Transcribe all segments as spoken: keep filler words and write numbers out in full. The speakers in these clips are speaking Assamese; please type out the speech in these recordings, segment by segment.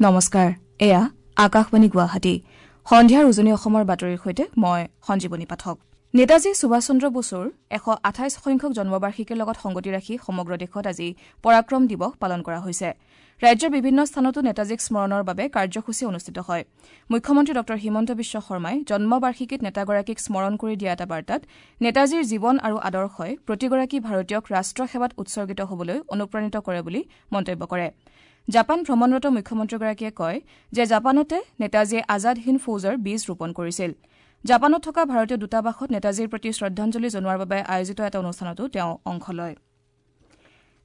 নমস্কাৰ, এয়া আকাশবাণী গুৱাহাটী। সন্ধিয়াৰ উজনি অসমৰ বাতৰিৰ সৈতে মই সঞ্জীৱনী পাঠক। নেতাজী সুভাষ চন্দ্ৰ বসুৰ এশ আঠাইছ সংখ্যক জন্মবাৰ্ষিকীৰ লগত সংগতি ৰাখি সমগ্ৰ দেশত আজি পৰাক্ৰম দিৱস পালন কৰা হৈছে। ৰাজ্যৰ বিভিন্ন স্থানতো নেতাজীক স্মৰণৰ বাবে কাৰ্যসূচী অনুষ্ঠিত হয়। মুখ্যমন্ত্ৰী ডঃ হিমন্ত বিশ্ব শৰ্মাই জন্মবাৰ্ষিকীত নেতাগৰাকীক স্মৰণ কৰি দিয়া এটা বাৰ্তাত নেতাজীৰ জীৱন আৰু আদৰ্শই প্ৰতিগৰাকী ভাৰতীয়ক ৰাষ্ট্ৰসেৱাত উৎসৰ্গিত হ'বলৈ অনুপ্ৰাণিত কৰে বুলি মন্তব্য কৰে। জাপান ভ্ৰমণৰত মুখ্যমন্ত্ৰীগৰাকীয়ে কয় যে জাপানতে নেতাজীয়ে আজাদ হিন্দ ফৌজৰ বীজ ৰোপণ কৰিছিল। জাপানত থকা ভাৰতীয় দূতাবাসত নেতাজীৰ প্ৰতি শ্ৰদ্ধাঞ্জলি জনোৱাৰ বাবে আয়োজিত এটা অনুষ্ঠানতো তেওঁ অংশ লয়।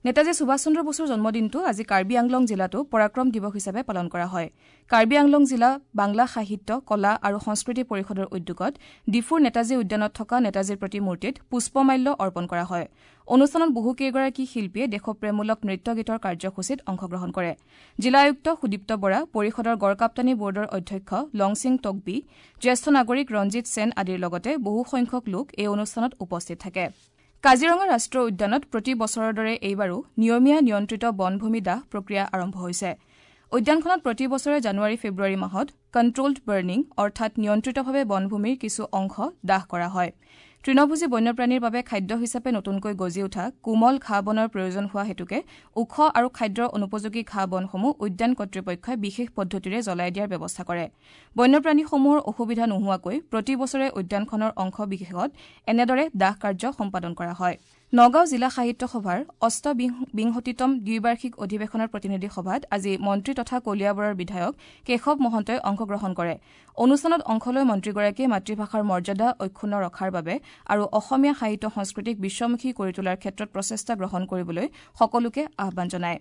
নেতাজী সুভাষ চন্দ্ৰ বসুৰ জন্মদিনটো আজি কাৰ্বি আংলং জিলাতো পৰাক্ৰম দিৱস হিচাপে পালন কৰা হয়। কাৰ্বি আংলং জিলা বাংলা সাহিত্য, কলা আৰু সংস্কৃতি পৰিষদৰ উদ্যোগত ডিফুৰ নেতাজী উদ্যানত থকা নেতাজীৰ প্ৰতিমূৰ্তিত পুষ্পমাল্য অৰ্পণ কৰা হয়। অনুষ্ঠানত বহুকেইগৰাকী শিল্পীয়ে দেশপ্ৰেমমূলক নৃত্য গীতৰ কাৰ্যসূচীত অংশগ্ৰহণ কৰে। জিলা আয়ুক্ত সুদীপ্ত বৰা, পৰিষদৰ গড়কাপ্তানী বোৰ্ডৰ অধ্যক্ষ লংছিং টকবি, জ্যেষ্ঠ নাগৰিক ৰঞ্জিত সেন আদিৰ লগতে বহুসংখ্যক লোক এই অনুষ্ঠানত উপস্থিত থাকে। কাজিৰঙা ৰাষ্ট্ৰীয় উদ্যানত প্ৰতি বছৰৰ দৰে এইবাৰো নিয়মীয়া নিয়ন্ত্ৰিত বনভূমি দাহ প্ৰক্ৰিয়া আৰম্ভ হৈছে। উদ্যানখনত প্ৰতি বছৰে জানুৱাৰী ফেব্ৰুৱাৰী মাহত কণ্ট্ৰলড বাৰ্ণিং অৰ্থাৎ নিয়ন্ত্ৰিতভাৱে বনভূমিৰ কিছু অংশ দাহ কৰা হয়। তৃণভোজী বন্যপ্ৰাণীৰ বাবে খাদ্য হিচাপে নতুনকৈ গজি উঠা কোমল ঘাঁহ বনৰ প্ৰয়োজন হোৱা হেতুকে ওখ আৰু খাদ্যৰ অনুপযোগী ঘাঁহ বনসমূহ উদ্যান কৰ্তৃপক্ষই বিশেষ পদ্ধতিৰে জ্বলাই দিয়াৰ ব্যৱস্থা কৰে। বন্যপ্ৰাণীসমূহৰ অসুবিধা নোহোৱাকৈ প্ৰতি বছৰে উদ্যানখনৰ অংশ বিশেষত এনেদৰে দাহ কাৰ্য সম্পাদন কৰা হয়। নগাঁও জিলা সাহিত্য সভাৰ অষ্টবিংশতিতম দ্বিবাৰ্ষিক অধিৱেশনৰ প্ৰতিনিধি সভাত আজি মন্ত্ৰী তথা কলিয়াবৰৰ বিধায়ক কেশৱ মহন্তই অংশগ্ৰহণ কৰে। অনুষ্ঠানত অংশ লৈ মন্ত্ৰীগৰাকীয়ে মাতৃভাষাৰ মৰ্যাদা অক্ষুণ্ণ ৰখাৰ বাবে আৰু অসমীয়া সাহিত্য সংস্কৃতিক বিশ্বমুখী কৰি তোলাৰ ক্ষেত্ৰত প্ৰচেষ্টা গ্ৰহণ কৰিবলৈ সকলোকে আহ্বান জনায়।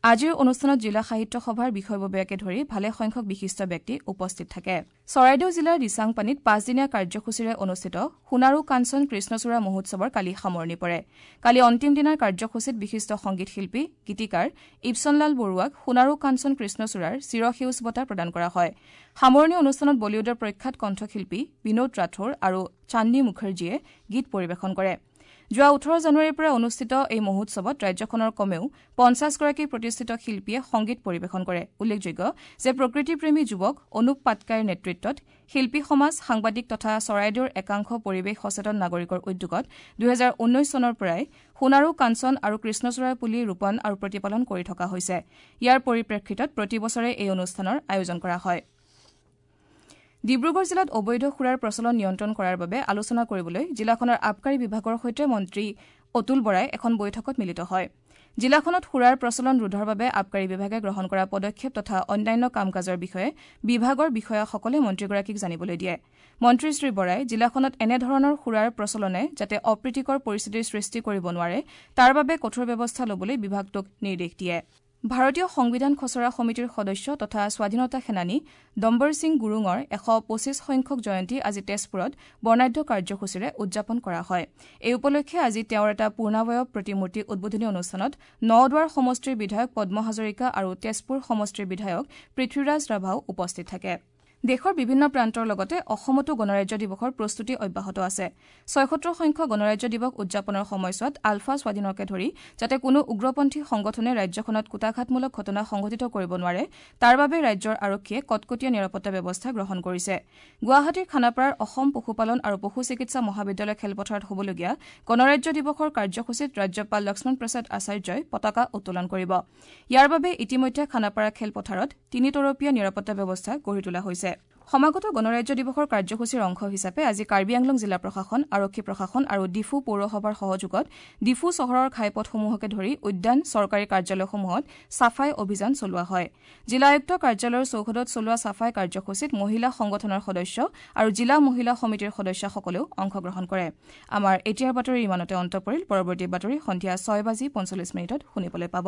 আজিৰ অনুষ্ঠানত জিলা সাহিত্য সভাৰ বিষয়ববীয়াকে ধৰি ভালেসংখ্যক বিশিষ্ট ব্যক্তি উপস্থিত থাকে। চৰাইদেউ জিলাৰ দিচাংপানীত পাঁচদিনীয়া কাৰ্যসূচীৰে অনুষ্ঠিত সোণাৰু কাঞ্চন কৃষ্ণচূড়া মহোৎসৱৰ কালি সামৰণি পৰে। কালি অন্তিম দিনাৰ কাৰ্যসূচীত বিশিষ্ট সংগীত শিল্পী গীতিকাৰ ইবচনলাল বৰুৱাক সোণাৰু কাঞ্চন কৃষ্ণচূড়াৰ চিৰসেউজ বঁটা প্ৰদান কৰা হয়। সামৰণি অনুষ্ঠানত বলিউডৰ প্ৰখ্যাত কণ্ঠশিল্পী বিনোদ ৰাথোৰ আৰু চান্দনী মুখাৰ্জীয়ে গীত পৰিৱেশন কৰে। যোৱা ওঠৰ জানুৱাৰীৰ পৰা অনুষ্ঠিত এই মহোৎসৱত ৰাজ্যখনৰ কমেও পঞ্চাছগৰাকী প্ৰতিষ্ঠিত শিল্পীয়ে সংগীত পৰিৱেশন কৰে। উল্লেখযোগ্য যে প্ৰকৃতিপ্ৰেমী যুৱক অনুপ পাটকাইৰ নেতৃত্বত শিল্পী সমাজ, সাংবাদিক তথা চৰাইদেউৰ একাংশ পৰিৱেশ সচেতন নাগৰিকৰ উদ্যোগত দুহেজাৰ ঊনৈশ চনৰ পৰাই সোণাৰু কাঞ্চন আৰু কৃষ্ণচূড়াৰ পুলি ৰোপণ আৰু প্ৰতিপালন কৰি থকা হৈছে। ইয়াৰ পৰিপ্ৰেক্ষিতত প্ৰতি বছৰে এই অনুষ্ঠানৰ আয়োজন কৰা হয়। ডিব্ৰুগড় জিলাত অবৈধ সুৰাৰ প্ৰচলন নিয়ন্ত্ৰণ কৰাৰ বাবে আলোচনা কৰিবলৈ জিলাখনৰ আবকাৰী বিভাগৰ সৈতে মন্ত্ৰী অতুল বৰাই এখন বৈঠকত মিলিত হয়। জিলাখনত সুৰাৰ প্ৰচলন ৰোধৰ বাবে আবকাৰী বিভাগে গ্ৰহণ কৰা পদক্ষেপ তথা অন্যান্য কাম কাজৰ বিষয়ে বিভাগৰ বিষয়াসকলে মন্ত্ৰীগৰাকীক জানিবলৈ দিয়ে। মন্ত্ৰী শ্ৰী বৰাই জিলাখনত এনেধৰণৰ সুৰাৰ প্ৰচলনে যাতে অপ্ৰীতিকৰ পৰিস্থিতিৰ সৃষ্টি কৰিব নোৱাৰে তাৰ বাবে কঠোৰ ব্যৱস্থা ল'বলৈ বিভাগটোক নিৰ্দেশ দিয়ে। ভাৰতীয় সংবিধান খচৰা সমিতিৰ সদস্য তথা স্বাধীনতা সেনানী ডম্বৰ সিং গুৰুঙৰ এশ পঁচিছ সংখ্যক জয়ন্তী আজি তেজপুৰত বৰ্ণাঢ্য কাৰ্যসূচীৰে উদযাপন কৰা হয়। এই উপলক্ষে আজি তেওঁৰ এটা পূৰ্ণাৱয়ব প্ৰতিমূৰ্তি উদ্বোধনী অনুষ্ঠানত নদুৱাৰ সমষ্টিৰ বিধায়ক পদ্ম হাজৰিকা আৰু তেজপুৰ সমষ্টিৰ বিধায়ক পৃথ্বীৰাজ ৰাভাও উপস্থিত থাকে। দেশৰ বিভিন্ন প্ৰান্তৰ লগতে অসমতো গণৰাজ্য দিৱসৰ প্ৰস্তুতি অব্যাহত আছে। ছয়সত্তৰ সংখ্যক গণৰাজ্য দিৱস উদযাপনৰ সময়ছোৱাত আলফা স্বাধীনকে ধৰি যাতে কোনো উগ্ৰপন্থী সংগঠনে ৰাজ্যখনত কূটাঘাতমূলক ঘটনা সংঘটিত কৰিব নোৱাৰে তাৰ বাবে ৰাজ্যৰ আৰক্ষীয়ে কটকটীয়া নিৰাপত্তা ব্যৱস্থা গ্ৰহণ কৰিছে। গুৱাহাটীৰ খানাপাৰাৰ অসম পশুপালন আৰু পশু চিকিৎসা মহাবিদ্যালয় খেলপথাৰত হ'বলগীয়া গণৰাজ্য দিৱসৰ কাৰ্যসূচীত ৰাজ্যপাল লক্ষ্মণ প্ৰসাদ আচাৰ্যই পতাকা উত্তোলন কৰিব। ইয়াৰ বাবে ইতিমধ্যে খানাপাৰা খেলপথাৰত তিনিতৰপীয়া নিৰাপত্তা ব্যৱস্থা গঢ়ি তোলা হৈছে। সমাগত গণৰাজ্য দিৱসৰ কাৰ্যসূচীৰ অংশ হিচাপে আজি কাৰ্বি আংলং জিলা প্ৰশাসন, আৰক্ষী প্ৰশাসন আৰু ডিফু পৌৰসভাৰ সহযোগত ডিফু চহৰৰ ঘাইপথসমূহকে ধৰি উদ্যান, চৰকাৰী কাৰ্যালয়সমূহত চাফাই অভিযান চলোৱা হয়। জিলা আয়ুক্ত কাৰ্যালয়ৰ চৌহদত চলোৱা চাফাই কাৰ্যসূচীত মহিলা সংগঠনৰ সদস্য আৰু জিলা মহিলা সমিতিৰ সদস্যসকলেও অংশগ্ৰহণ কৰে। আমাৰ এতিয়াৰ বাতৰি ইমানতে অন্ত পৰিল। পৰৱৰ্তী বাতৰি সন্ধিয়া ছয় বাজি পঞ্চল্লিছ মিনিটত শুনিবলৈ পাব।